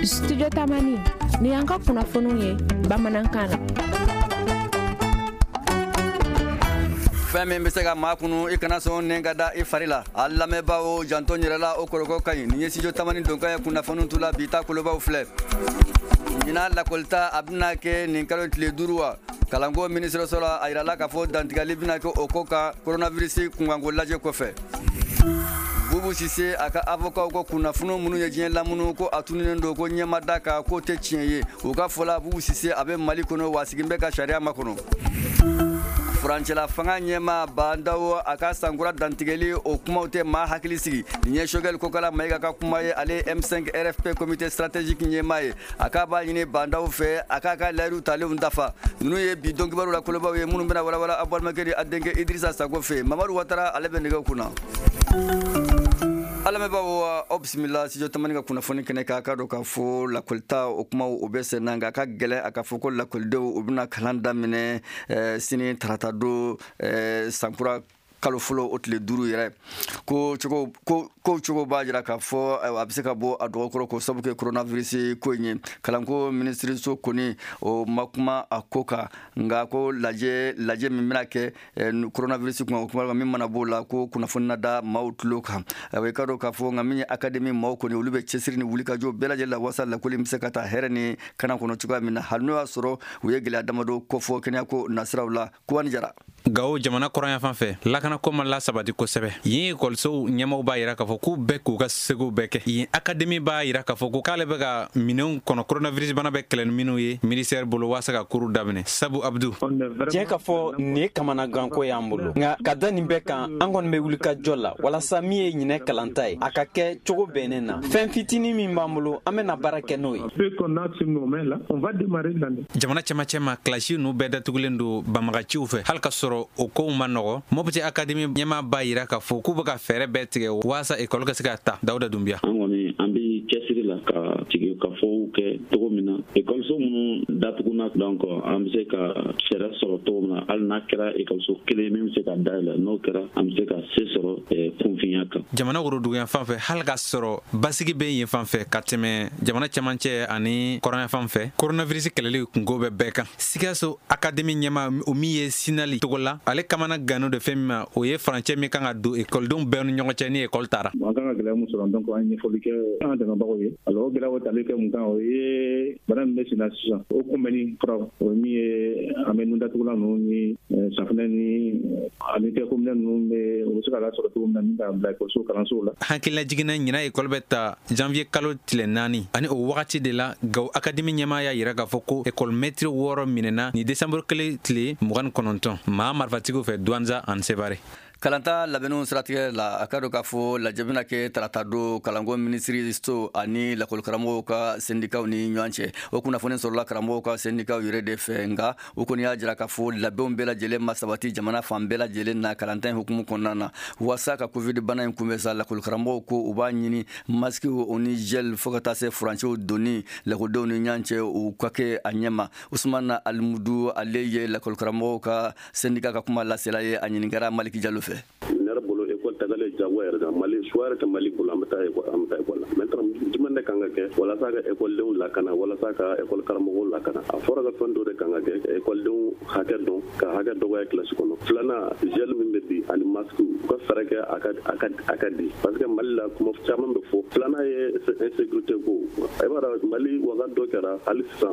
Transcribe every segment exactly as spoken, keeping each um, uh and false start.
Studio Tamani ni y'an ka kunnafoniw ye bamanankan na. Fɛn min bɛ se ka maa kunu, i kana sɔn nɛn ka da i fari la. A lamɛnbaaw, janto yɛrɛ la, o kɔrɔkɔ ka ɲi. Nin ye Studio Tamani donkan ye. Kunnafoniw tu la bi ta kolobaw filɛ. Ɲinan lakɔlita, a bɛna kɛ nin kalo tile duuru wa. Kalanko minisiriso la, a yirala k'a fɔ dantigɛli bɛna kɛ o ko kan coronavirus kunkanko lajɛ kɔfɛ. Bubu Sise, a ka avocat ko kunnafoni minnu ye diɲɛ lamunu ko a tununnen don, ko ɲɛma da kan k'o tɛ tiɲɛ ye. U ka fɔ la, Bubu Sise, a bɛ Mali kɔnɔ wa, sigin bɛ ka sariya makɔnɔ. Furancɛla fanga ɲɛma Bandawo, a ka sankura dantigɛli, o kumaw tɛ maa hakili sigi. Nin ye Choguel Kokala Mayiga ka kuma ye. Ale M cinq R F P comité stratégique ɲɛma ye. A k'a b'a ɲini Bandaw fɛ, a k'a ka layiru talenw dafa. Ninnu ye bi don kibaru la kolobaw ye, minnu bɛna walawala aw balimakɛ ni a denkɛ Idrissa Sako fɛ. Mamadu Watara, ale bɛ nɛgɛw kunna. A lamɛnbaaw, aw bisimila Studio Tamani ka kunnafoni kɛnɛ kan. K'a dɔn k'a fɔ lakɔlita, o kumaw o bɛ sen na, nka a ka gɛlɛn a ka fɔ ko lakɔlidenw, u bɛna kalan daminɛ sini tarata don, sankura kalo fɔlɔ o tile duuru yɛrɛ. Ko cogo ko ko cogo b'a jira k'a fɔ a bɛ se ka bɔ a dɔgɔkɔrɔ ko sabu kɛ coronavirus ko in ye. Kalanko minisiriso kɔni, o ma kuma a ko kan, nka ko lajɛ lajɛ min bɛna kɛ coronavirus kun, o kuma min mana b'o la, ko kunnafoni na da maaw tulo kan. I ka dɔn k'a fɔ nka min ye académie maaw kɔni, olu bɛ cɛsiri ni wulikajɔ bɛɛ lajɛlen la walasa lakɔli bɛ se ka taa hɛrɛ ni kana kɔnɔ cogoya min na, hali n'o y'a sɔrɔ u ye gɛlɛya damadɔ kofɔ kɛnɛyako nasiraw la. Kuwani Jara. Gawo jamana kɔrɔnyanfan fɛ, lakanako ma lasabati kosɛbɛ. Yen ekɔlisow ɲɛmaw b'a yira k'a fɔ k'u bɛɛ k'u ka segow bɛɛ kɛ. Yen académie b'a yira k'a fɔ ko k'ale bɛ ka minɛnw kɔnɔ coronavirus bana bɛ kɛlɛ ni minnu ye ministère bolo waasa ka cours daminɛ. Sabu Abdu. Tiɲɛ ka fɔ, nin ye kamanaganko y'an bolo, nka ka da nin bɛɛ kan, an kɔni bɛ wuli ka jɔ la walasa min ye ɲinɛ kalanta ye, a ka kɛ cogo bɛnnen na. Fɛn fitinin min b'an bolo, an bɛna baara kɛ n'o ye. Jamana cɛmancɛ ma, kilasi ninnu bɛɛ datugulen don banbagaciw fɛ. Hali ka sɔrɔ o kow ma nɔgɔ, Mopti académie ɲɛmaa b'a yira k'a fɔ k'u bɛ ka fɛɛrɛ bɛɛ tigɛ waasa ekɔli ka se ka ta. Dawuda Dunbiya. An kɔni, an bɛ cɛsiri la ka sigi ka fɔw kɛ cogo min na ekɔliso minnu datuguna, donc an bɛ se ka fɛɛrɛ sɔrɔ cogo min na, hali n'a kɛra ekɔliso kelen min bɛ se ka dayɛlɛ, n'o kɛra, an bɛ se ka se sɔrɔ kunfinya kan. Jamana woroduguyan fan fɛ, hali ka sɔrɔ basigi bɛ yen fan fɛ ka tɛmɛ jamana cɛmancɛ ani kɔrɔnya fan fɛ, coronavirus kɛlɛli kungo bɛ bɛɛ kan. Sikaso académie ɲɛma, o min ye Sinali togo la, ale kamana gannen de fɛn min ma, o ye furancɛ min kan ka don ekɔlidenw bɛɛ ni ɲɔgɔn cɛ ni ekɔli taara. An kan ka gɛlɛya mun sɔrɔ, donc an ye ɲɛfɔli kɛ an dɛmɛbagaw ye. Alors o gɛlɛya tali kɛ mun kan, o ye bana min bɛ sen na sisan, o kunbɛnni furaw, o ye min ye an bɛ nun datugulan ninnu ni safunɛ ni ani tɛgɛkominɛ ninnu bɛ, o bɛ se ka lasɔrɔ cogo min na ni k'a bila ekɔliso kalansow la. Hakilila jiginna, ɲinan ekɔli bɛ ta janvier kalo tile naani, ani o wagati de la, Gawo académie ɲɛmaa y'a yira k'a fɔ ko ekɔli mɛtiri wɔɔrɔ minɛna ni décembre kelen tile mugan ni kɔnɔntɔn maa marifatigiw fɛ Douentza ani Sevare. Kalanta labɛnniw siratigɛ la, a ka dɔn k'a fɔ lajɛ bɛna kɛ tarata don kalanko minisiri so ani lakɔlikaramɔgɔw ka sendikaw ni ɲɔgɔn cɛ. O kunnafoni sɔrɔla karamɔgɔw ka sendikaw yɛrɛ de fɛ, nka u kɔni y'a jira k'a fɔ labɛnw bɛɛ lajɛlen ma sabati jamana fan bɛɛ lajɛlen na kalanta in hukumu kɔnɔna na waasa ka Covid bana in kunbɛn sa. Lakɔlikaramɔgɔw ko u b'a ɲini masikiw, o ni gel, fo ka taa se furancɛw donni lakɔlidenw ni ɲɔgɔn cɛ, u ka kɛ a ɲɛma. Usumana Alimudu, ale ye lakɔlikaramɔgɔw ka sendika ka kuma lasela ye. A ɲininkara Maliki Jalo fɛ. Ne yɛrɛ bolo, école tagalen jagoya yɛrɛ kan. Mali choix yɛrɛ tɛ Mali bolo, an bɛ taa école, an bɛ taa école la. Maintenant, jumɛn de kan ka kɛ walasa ka écoledenw lakana, walasa ka école karamɔgɔw lakana? A fɔra ka fɛn dɔ de kan ka kɛ: écoledenw hakɛ dɔn, ka hakɛ dɔgɔya kilasi kɔnɔ. Filanan, gel min bɛ di ani masque, u ka fɛɛrɛ kɛ a ka a ka a ka di, parce que Mali la, kuma caman bɛ fɔ. Filanan ye insécurité ko. I b'a dɔn, Mali waga dɔ kɛra, hali sisan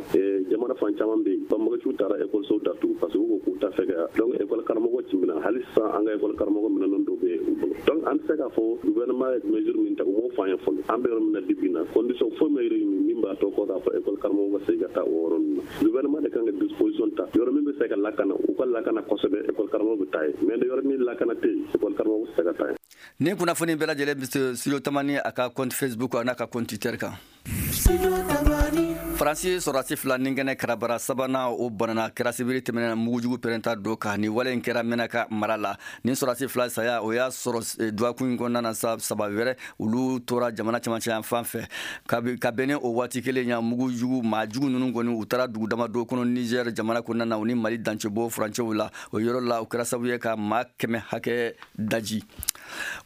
jamana fan caman bɛ yen, banbagaciw taara école datugu parce que u ko k'u t'a fɛ ka, donc école karamɔgɔ cimina. Hali sisan an ka école karamɔgɔ minɛnen dɔw bɛ u bolo. Donc an tɛ se k'a fɔ gouvernement ye mesure min ta, u m'o fɔ an ye fɔlɔ. An bɛ yɔrɔ min na bi bi in na, condition foyi ma réuni min b'a to kɔ k'a fɔ école karamɔgɔ ka segin ka taa o yɔrɔ ninnu na. Gouvernement de kan ka disposition ta. Yɔrɔ min bɛ se ka lakana, u ka lakana kosɛbɛ, école karamɔgɔ bɛ taa yen. Mais yɔrɔ min lakana tɛ yen, école karamɔgɔ tɛ se ka taa yen. Nin kunnafoni bɛɛ lajɛlen bɛ Studio Tamani a ka compte Facebook a n'a ka compte Twitter kan. Faransi sɔrɔdasi fila ni kɛnɛ karabara sabanan o banana kɛra sibiri tɛmɛnen mugujugu pɛrɛnta dɔ kan. Ni wale in kɛra Menaka mara la. Ni sɔrɔdasi fila saya o y'a sɔrɔ dɔgɔkun in kɔnɔna na sa, saba wɛrɛ olu tora jamana cɛmancɛ yan fan fɛ. Ka bɛn ni o waati kelen ya, mugujugu maa jugu ninnu kɔni u taara dugu damadɔ kɔnɔ Niger jamana kɔnɔna na, u ni Mali dancɛbɔ furancɛw la. O yɔrɔ la, o kɛra sababu ye ka maa kɛmɛ hakɛ daji.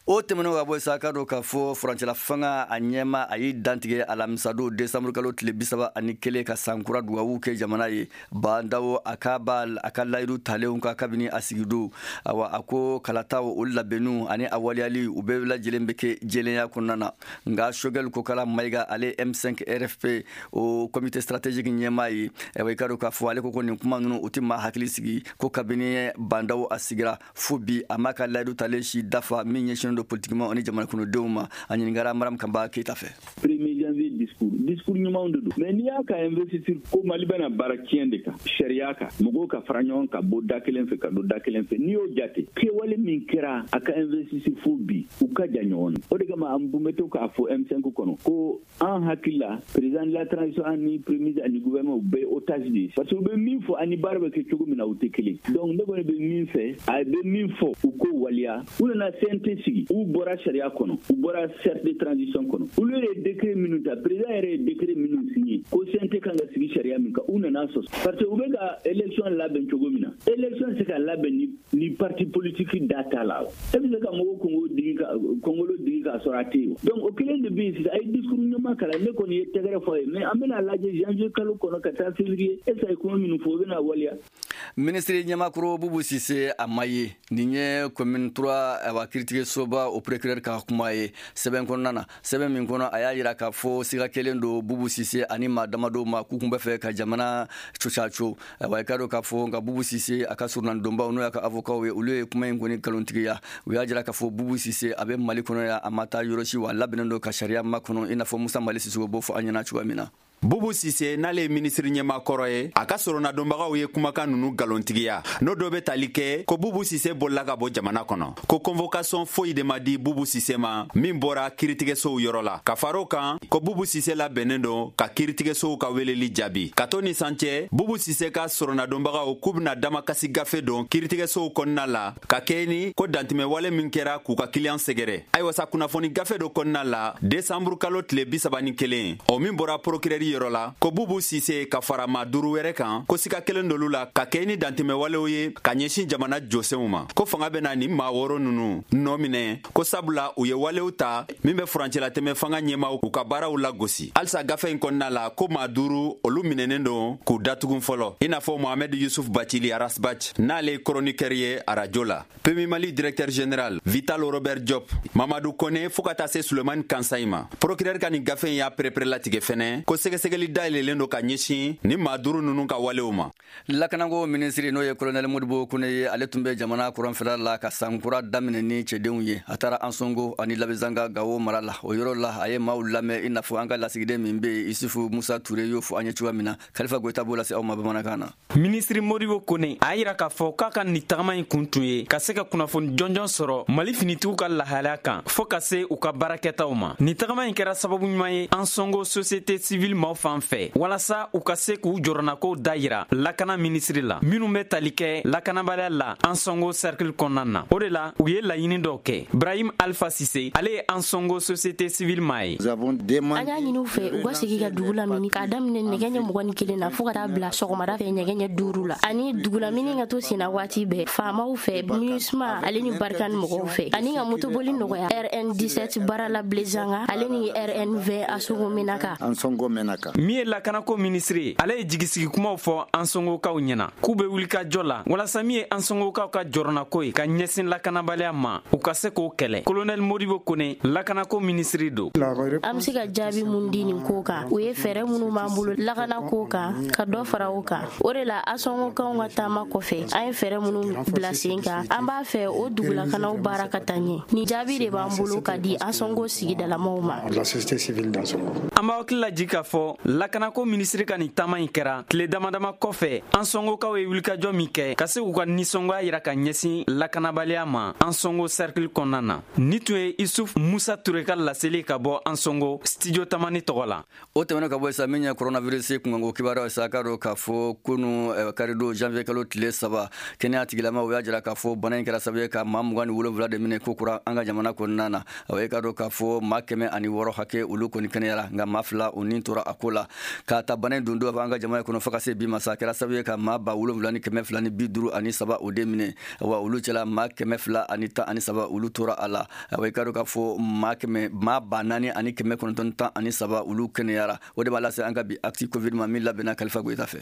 O tɛmɛnen ka bɔ sa, ka dɔn k'a fɔ furancɛla fanga a ɲɛma a y'i dantigɛ alamisadon desanburu kalo tile bi saba ani kelen ka sankura dugawu kɛ jamana ye. Bandawo a ka ba a ka layidu talenw ka kabini a sigidon. Awa, a ko kalataw o labɛnniw ani a waleyali u bɛɛ lajɛlen bɛ kɛ jɛlenya kɔnɔna na. Nka Choguel Kokala Mayiga, ale M cinq R F P o comité stratégique ɲɛmaa ye, ayiwa, i ka dɔn k'a fɔ ale ko ko nin kuma ninnu u tɛ maa hakili sigi, ko kabini Bandawo a sigira fo bi, a m'a ka layidu talen si dafa min ɲɛsinnen don politiquement ani jamana kɔnɔdenw ma. A ɲininkara Maram Kanba Keyita fɛ. Premier janvier discours, discours ɲumanw de don, mais n'i y'a ka investiture ko Mali bɛna baara tiɲɛ de kan, sariya kan, mɔgɔw ka fara ɲɔgɔn ka bɔ da kelen fɛ ka don da kelen fɛ, n'i y'o jate kɛwale min kɛra a ka investiture fo bi, u ka jan ɲɔgɔn na. O de kama an bɛ to k'a fɔ M cinq kɔnɔ ko an hakili la, président de la transition ani premier ministre ani gouvernement, u bɛɛ ye otage de ye, parce que u bɛ min fɔ ani baara bɛ kɛ cogo min na, u tɛ kelen. Donc ne kɔni bɛ min fɛ, a bɛ min fɔ, u k'o waleya. U nana C N T sigi, u bɔra sariya kɔnɔ, u bɔra charte de transition kɔnɔ. Olu yɛrɛ ye décret minnu ta, président yɛrɛ ye décret minnu signé ko C N T kan ka sigi sariya min kan, u nana sɔsɔ, parce que u bɛ ka élection labɛn cogo min na, élection tɛ se ka labɛn ni ni parti politique da t'a la. E bɛ se ka mɔgɔw kungo digi ka kɔngolo digi k'a sɔrɔ a tɛ yen. Donc o kelen de bɛ yen sisan. A ye discours ɲuman kalan, ne kɔni ye tɛgɛrɛ fɔ a ye, mais an bɛna lajɛ janvier kalo kɔnɔ ka taa février, est ce que a ye kuma minnu fɔ, o bɛna waleya. Minisiri ɲɛmakɔrɔ Bubu Sise a ma ye. Nin ye commune trois, awa, kiiritigɛsoba o procureur ka kuma ye sɛbɛn kɔnɔna na, sɛbɛn min kɔnɔ a y'a yira k'a fɔ siga kelen don Bubu Sise ani maa damadɔw ma k'u kun bɛ fɛ ka jamana cocaco. Ayiwa, i ka dɔn k'a fɔ nka Bubu Sise a ka surunandonbaw, n'o y'a ka avocat ye, olu ye kuma in kɔni nkalontigiya. U y'a jira k'a fɔ Bubu Sise a bɛ Mali kɔnɔ yan, a ma taa yɔrɔ si, wa a labɛnnen don ka sariya makɔnɔ, i n'a fɔ Musa Mali Sisoko b'o fɔ an ɲɛna cogoya min na. Bubu Sise, n'ale ye minisiri ɲɛma kɔrɔ ye, a ka soronadonbagaw ye kumakan nunu galontigiya, n'o dɔ be tali kɛ ko Bubu Sise bolila ka bɔ jamana kɔnɔ, ko convocation foyi de ma di Bubu Sise ma min bɔra kiiritigɛsow yɔrɔ la. Ka far'o kan, ko Bubu Sise labɛnnen don ka kiiritigɛsow ka weleli jaabi. Ka to ni san cɛ, Bubu Sise ka soronadonbagaw k'u bena damakasi gafe don kiiritigɛsow kɔnɔna la ka kɛɲɛ ni ko dantɛmɛwale min kɛra k'u ka kiliyan sɛgɛrɛ. Ayiwa sa, kunnafoni gafe dɔ kɔnɔna la desanburu kalo tile bi saba ni kelen, o min bɔra procureur yɔrɔ la, ko Bubu Sise ka fara maa duuru wɛrɛ kan, ko sika kelen dolu la ka kɛ ni dantɛmɛwalew ye ka ɲɛsin jamana jɔsenw ma, ko fanga bena nin maa wɔɔrɔ nunu nɔɔ minɛ, ko sabula u ye walew ta min bɛ furancɛlatɛmɛ fanga ɲɛmaw k'u ka baaraw lagosi. Halisa gafe in kɔnɔna la, ko maa duuru olu minɛnen don k'u datugun fɔlɔ, i n'a fɔ Mohamɛd Yusuf Bacili Ras Bath, n'ale ye chroniqueur ye arajo la, P M U Mali directeur général Vital Robert Diop, Mamadu Kone, fɔɔ ka taa se Sulemani Kansayi ma. Procureur ka nin gafe in y'a perepere latigɛ fɛnɛ ko sɛgɛsɛgɛli dayɛlɛlen don ka ɲɛsin ni maa duuru nunu ka walew ma. Lakanako minisiri, n'o ye colonel Modibo Kone ye, ale tun bɛ jamana kɔrɔnfɛla la ka sankura daminɛ ni cɛdenw ye. A taara Ansongo ani Labezanga, Gawo mara la. O yɔrɔ la, a ye maaw lamɛn, i n'a fɔ an ka lasigiden min bɛ yen, Isufu Musa Ture, y'o fɔ an ye cogoya min na. Kalifa Goyita b'o lase aw ma bamanankan na. Minisiri Modibo Kone a yira k'a fɔ k'a ka nin tagama in kun tun ye ka se ka kunnafoni jɔnjɔn sɔrɔ Mali finitigiw ka lahalaya kan, fɔɔ ka se u ka baarakɛtaw ma. Nin tagama in kɛra sababu ɲuman ye Ansongo société civile maaw fan fɛ, walasa u ka se k'u jɔrɔnakow da yira lakana minisiri la minnu bɛ tali kɛ lakanabaliya la Ansongo cercle kɔnɔna na. O de la, u ye laɲini dɔw kɛ. Brahim Alpha Sise, ale ye Ansongo société civile maa ye. An y'a ɲini u fɛ u ka sigi ka dugu lamini k'a daminɛ nɛgɛ ɲɛ mugan ni kelen na fɔɔ ka taa bila sɔgɔmada fɛ nɛgɛ ɲɛ duuru la, ani dugulamini ka to senna waati bɛɛ faamaw fɛ, MINUSMA ale ni Barkhane mɔgɔw fɛ, ani ka motoboli nɔgɔya R N dix-sept Barala Blezanga ale ni R N vingt Asogo Menaka. Min ye lakanako minisiri ye, ale ye jigisigi kumaw fɔ Ansongokaw ɲɛna k'u be wuli ka jɔ la walasa min ye Ansongokaw ka jɔrɔnako ye ka ɲɛsin lakanabaliya ma, u ka se k'o kɛlɛ. Kolonɛli Modibo Kone, lakanako minisiri don. An be se ka jaabi mun di nin ko kan? O ye fɛɛrɛ minnu b'an bolo lakana ko kan, ka dɔ fara o kan. O de la, Asɔngokanw ka taama kɔfɛ, an ye fɛɛrɛ minnu bila sen kan, an b'a fɛ o dugulakanaw baara ka taa ɲɛ. Nin jaabi de b'an bolo ka di Asɔngo sigidalamaw ma. An b'aw hakili lajigi k'a fɔ. fɔ lakanako minisiri ka nin taama in kɛra tile damadama kɔfɛ Ansongokaw ye wulikajɔ min kɛ ka se k'u ka nisɔngoya yira ka ɲɛsin lakanabaliya ma Ansongo cercle kɔnɔna na. Ni tun ye Isuf Musa Ture ka laseli ka bɔ Ansongo studio Tamani tɔgɔ la. O tɛmɛnen ka bɔ sa, min ye coronavirus kunkanko kibaruya sa, k'a dɔn k'a fɔ kunu karidon janvier kalo tile saba, kɛnɛya tigilamaw y'a jira k'a fɔ bana in kɛra sababu ye ka maa mugan ni wolonwula de minɛ ko kura an ka jamana kɔnɔna na. O ye k'a dɔn k'a fɔ maa kɛmɛ ani wɔɔrɔ hakɛ olu kɔni kɛnɛyara, nka maa fila o ni tora a ko la. K'a ta bana in don don an ka jamana kɔnɔ fo ka se bi ma sa, a kɛra sababu ye ka maa ba wolonwula ni kɛmɛ fila ni bi duuru ani saba o de minɛ, wa olu cɛla maa kɛmɛ fila ani tan ani saba olu tora a la. O ye k'a dɔn k'a fɔ maa kɛmɛ maa ba naani ani kɛmɛ kɔnɔntɔn tan ani saba olu kɛnɛyara. O de b'a lase an ka bi actu covid ma min labɛnna Kalifa Goyita fɛ.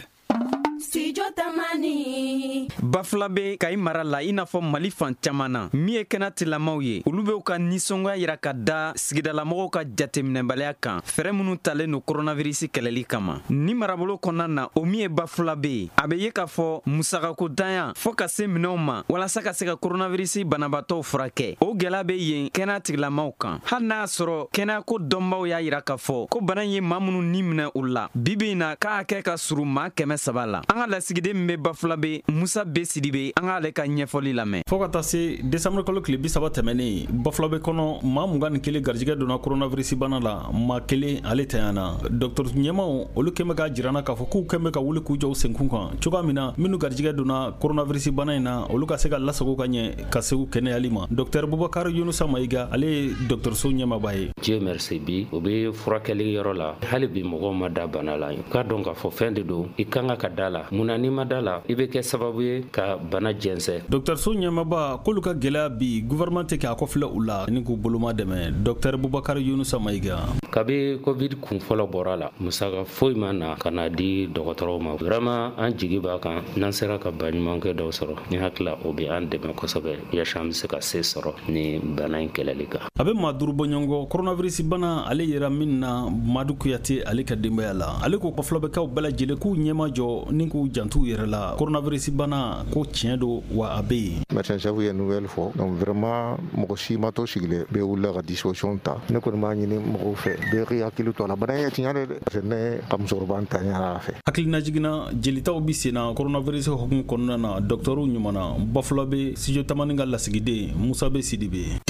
Studio Tamani. Bafulabe Kayi mara la, i n'a fɔ Mali fan caman na, min ye kɛnɛ tilamaw ye, olu b'u ka nisɔngoya yira ka da sigidalamɔgɔw ka jateminɛbaliya kan fɛɛrɛ minnu talen don coronavirus kɛlɛli kama. Ni marabolo kɔnɔna na, o min ye Bafulabe ye, a bɛ ye k'a fɔ musakako danya fɔɔ ka se minɛnw ma walasa ka se ka coronavirus banabaatɔw furakɛ, o gɛlɛya bɛ yen kɛnɛya tigilamaw kan. Hali n'a y'a sɔrɔ kɛnɛyako dɔnbaw y'a yira k'a fɔ ko bana in ye maa minnu ni minɛ u la bi bi in na, k'a hakɛ ka surun maa kɛmɛ saba la. An ka lasigiden min bɛ Bafulabe, Musa B Sidibe, an k'ale ka ɲɛfɔli lamɛn. Fo ka taa se desanburu kalo tile bi saba tɛmɛnen, Bafulabe kɔnɔ maa mugan ni kelen garijɛgɛ donna coronavirus bana la, maa kelen ale tanyana. Dɔgɔtɔrɔ ɲɛmaw olu kɛn bɛ k'a jira n na k'a fɔ k'u kɛn bɛ ka wuli k'u jɔ u senkun kan cogoya min na minnu garijɛgɛ donna coronavirus bana in na, olu ka se ka lasago ka ɲɛ ka se u kɛnɛyali ma. Dɔgɔtɔrɔ Bubakari Yunusa Mayiga, ale ye dɔgɔtɔrɔso ɲɛmaaba ye. Dieu merci, bi u bɛ furakɛli yɔrɔ la, hali bi mɔgɔw ma da bana la. U k'a dɔn k'a fɔ fɛn de don, i kan ka da la. Munna n'i ma da la, i bɛ kɛ sababu ye ka bana jɛnsɛn. Dɔgɔtɔrɔso ɲɛmaaba k'olu ka gɛlɛya bi gouvernement tɛ k'a kɔfilɛ u la ni k'u boloma dɛmɛ. Dɔgɔtɔrɔ Bubakari Yunusa Mayiga. Kabi covid kun fɔlɔ bɔra la, musaka foyi ma na ka na di dɔgɔtɔrɔw ma. Vraiment an jigi b'a kan, n'an sera ka baɲumankɛ dɔw sɔrɔ, ni hakili o bɛ an dɛmɛ kosɛbɛ yaasa an bɛ se ka se sɔrɔ ni bana in kɛlɛli kan. A bɛ maa duuru bɔ ɲɔgɔn kɔ coronavirus bana ale yera min na, Madu Kuyate ale ka denbaya la. Ale ko Bafulabɛkaw bɛɛ lajɛlen k'u ɲɛma jɔ ni k'u jantu yɛrɛ la, coronavirus bana ko tiɲɛ don wa a bɛ yen. Médecin chef ye nouvelle fɔ, donc vraiment mɔgɔ si ma to sigilen, bɛɛ wulila ka disposition ta. Ne kɔni b'a ɲini mɔgɔw fɛ, bɛɛ k'i hakili to a la, bana in ye tiɲɛ de dɛ, parce que ne ka musokɔrɔba n tanyara a fɛ. Hakilina jiginna jelitaw bi sen na coronavirus hukumu kɔnɔna na dɔgɔtɔrɔw ɲuman na. Bafulabe studio Tamani ka lasigiden Musa B Sidibe.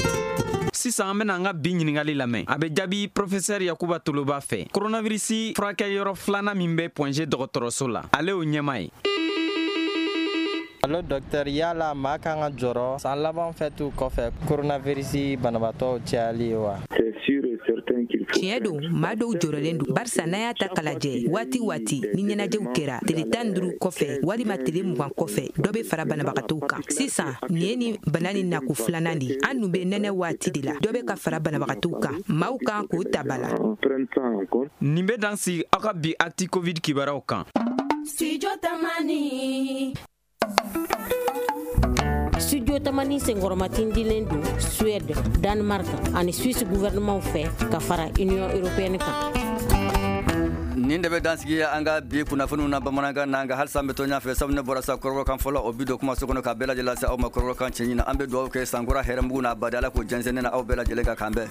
Sisan an bɛna an ka bi ɲininkali lamɛn. A bɛ jaabi professeur Yakuba Toloba fɛ. Coronavirus furakɛyɔrɔ filanan min bɛ Point G dɔgɔtɔrɔso la, ale y'o ɲɛmaa ye. Allo docteur, yala maa kan ka jɔrɔ san laban fɛtiw kɔfɛ coronavirus banabaatɔw cayali ye wa? Tiɲɛ don, maa dɔw jɔrɔlen don barisa n'a y'a ta k'a lajɛ, waati waati ni ɲɛnajɛw kɛra tile tan ni duuru kɔfɛ walima tile mugan kɔfɛ, dɔ bɛ fara banabagatɔw kan. Sisan nin ye ni bana ni nako filanan de ye. An dun bɛ nɛnɛ waati de la, dɔ bɛ ka fara banabagatɔw kan, maaw kan k'o ta ba la. Nin bɛ dan sigi aw ka bi actu covid kibaruyaw kan. Studio Tamani. Studio Tamani senkɔrɔmatindilen don Suède, Danemark ani Suisse gouvernement fɛ ka fara Union européenne kan. Nin de bɛ dansigi an ka bi kunnafoniw na bamanankan na, nka halisa an bɛ to ɲɛfɛ sabu ne bɔra sa kɔrɔbɔrɔkan fɔlɔ o bi don kumaso kɔnɔ ka bɛɛ lajɛlen lase aw ma kɔrɔbɔrɔkan cɛɲi na. An bɛ dugawu kɛ sankura hɛrɛmugu n'a badi Ala k'o jɛnsɛn ne na aw bɛɛ lajɛlen ka kan bɛn.